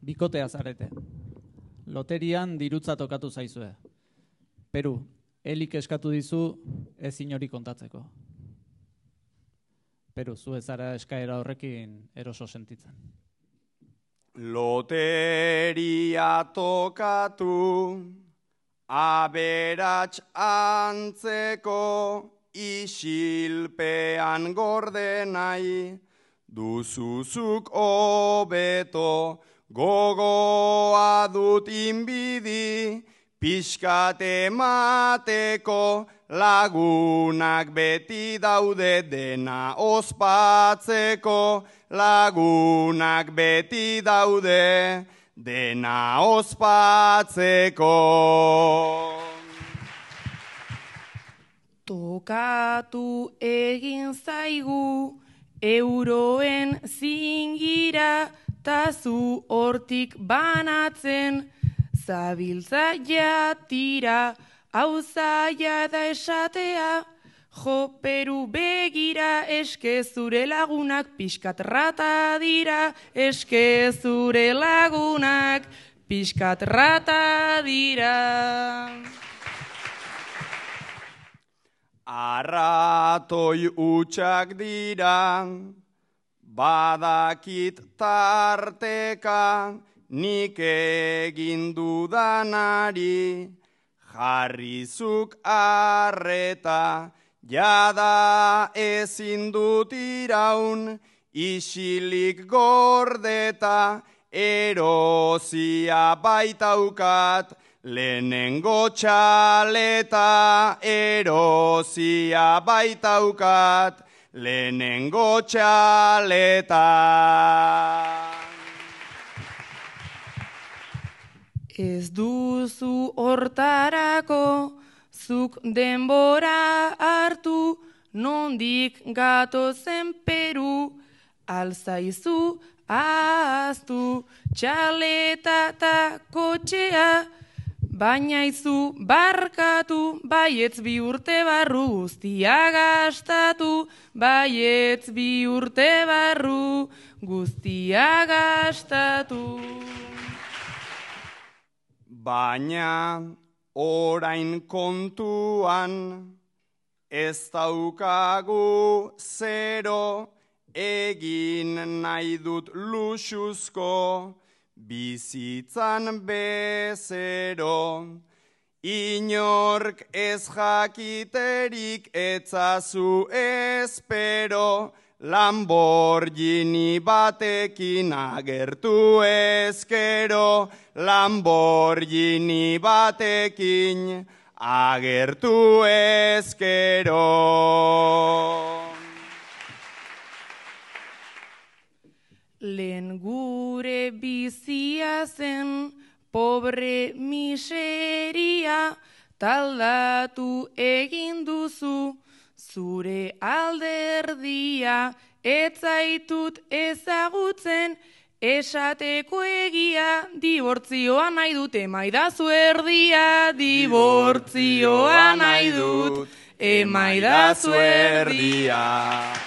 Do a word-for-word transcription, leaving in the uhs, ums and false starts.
bikotea zarete. Loterian dirutza tokatu zaizue. Peru, Elik eskatu dizu ez inori kontatzeko. Peru, zu ez zara eskaera horrekin eroso sentitzen. Loteria tokatu, aberats antzeko, isilpean gorde nahi, duzuzuk hobeto, gogoa dut inbidi, pixkat emateko, lagunak beti daude dena ospatzeko, lagunak beti daude dena ospatzeko. Tokatu egin zaigu euroen zingira, tazu hortik banatzen, zabiltza jatira, hau zaila da esatea, jo Peru begira, eske zure lagunak pixkat rata dira, eske zure lagunak pixkat rata dira. Arratoi utxak dira, badakit tarteka, nik egin dudanari, jarrizuk arreta, jada ezin dut iraun, isilik gordeta, erozia baitaukat, lehenengo txaleta, erozia baitaukat, lehenengo txaleta. Ez duzu hortarako, zuk denbora hartu, nondik gatozen Peru, alzaizu ahaztu, txaleta eta kotxea, baina izu barkatu, baietz bi urte barru guztia gastatu, baietz bi urte barru guztia gastatu. Baina orain kontuan ez daukagu zero, egin nahi dut luxuzko, bizitzan bezero. Inork ez jakiterik etzazu espero, Lamborghini batekin agertu ezkero, Lamborghini batekin agertu ezkero. Lehen gure bizia zen, pobre miseria, taldatu egin duzu, zure alderdia, ez zaitut ezagutzen, esateko egia, dibortzioa nahi dut, emaidazu erdia, dibortzioa nahi dut, emaidazu erdia.